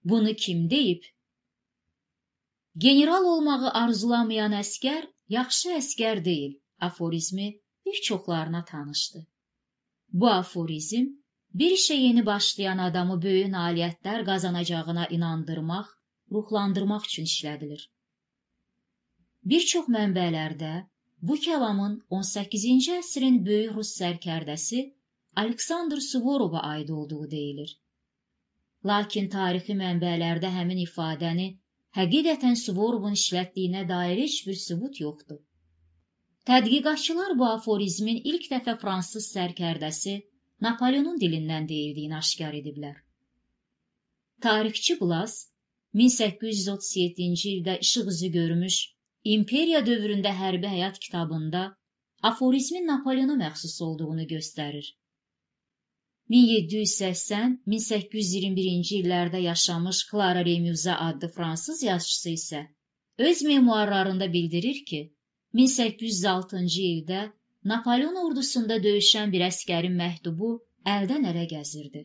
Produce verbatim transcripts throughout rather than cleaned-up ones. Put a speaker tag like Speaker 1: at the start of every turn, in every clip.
Speaker 1: Bunu kim deyib? General olmağı arzulamayan əskər yaxşı əskər deyil aforizmi bir çoxlarına tanışdı. Bu aforizm bir işə yeni başlayan adamı böyük nailiyyətlər qazanacağına inandırmaq, ruhlandırmaq üçün işlədilir. Bir çox mənbələrdə bu kəlamın on səkkizinci əsrin böyük Rus sərkərdəsi Aleksandr Suvorova aid olduğu deyilir. Lakin tarixi mənbələrdə həmin ifadəni həqiqətən Suvorovun işlətdiyinə dair heç bir sübut yoxdur. Tədqiqatçılar bu aforizmin ilk dəfə fransız sərkərdəsi Napoleonun dilindən deyildiyini aşkar ediblər. Tarixçi Blas, min səkkiz yüz otuz yeddinci ildə işıq üzü görmüş İmperiya dövründə hərbi həyat kitabında aforizmin Napoleona məxsus olduğunu göstərir. min yeddi yüz səksən - min səkkiz yüz iyirmi birinci illərdə yaşamış Clara Remüza adlı fransız yazıçısı isə öz memuarlarında bildirir ki, min səkkiz yüz altıncı ildə Napoleon ordusunda döyüşən bir əskərin məktubu əldən ələ gəzirdi.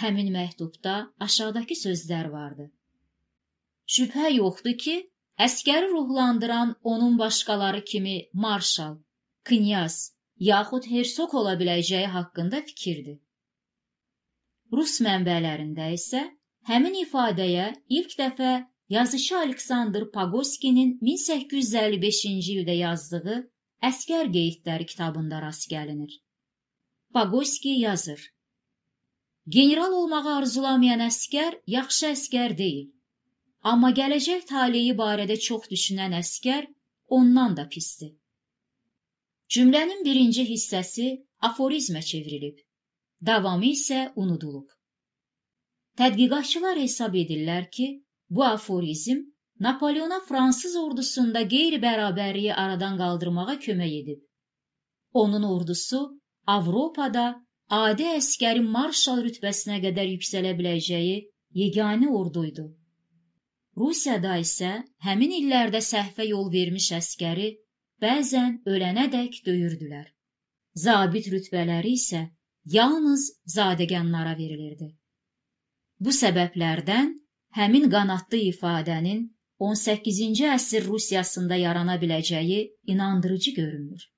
Speaker 1: Həmin məktubda aşağıdakı sözlər vardı. Şübhə yoxdur ki, əskəri ruhlandıran onun başqaları kimi marşal, knyaz, yaxud hersoq ola biləcəyi haqqında fikirdir. Rus mənbələrində isə həmin ifadəyə ilk dəfə yazışı Aleksandr Pagoskinin min səkkiz yüz əlli beşinci ildə yazdığı Əskər qeydləri kitabında rast gəlinir. Pagoski yazır. General olmağı arzulamayan əskər yaxşı əskər deyil. Amma gələcək taleyi barədə çox düşünən əskər ondan da pisdir. Cümlənin birinci hissəsi aforizmə çevrilib, davamı isə unudulub. Tədqiqatçılar hesab edirlər ki, bu aforizm Napoleona Fransız ordusunda qeyri-bərabərliyi aradan qaldırmağa kömək edib. Onun ordusu Avropada adi əskərin marşal rütbəsinə qədər yüksələ biləcəyi yeganə orduydu. Rusiyada isə həmin illərdə səhvə yol vermiş əskəri bəzən ölənədək döyürdülər. Zabit rütbələri isə yalnız zadəganlara verilirdi. Bu səbəblərdən həmin qanadlı ifadənin on səkkizinci əsr Rusiyasında yarana biləcəyi inandırıcı görünür.